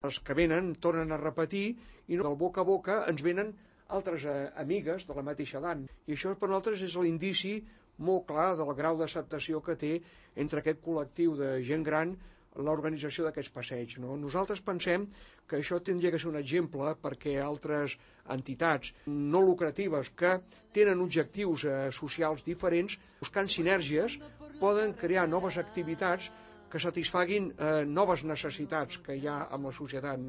Els que venen tornen a repetir i del boca a boca ens venen altres amigues de la mateixa edat. I això per nosaltres és l'indici molt clar del grau d'acceptació que té entre aquest col·lectiu de gent gran l'organització d'aquests passeigs. No? Nosaltres pensem que això tindria que ser un exemple perquè altres entitats no lucratives que tenen objectius socials diferents, buscant sinergies, poden crear noves activitats que satisfaguin noves necessitats que hi ha amb la societat.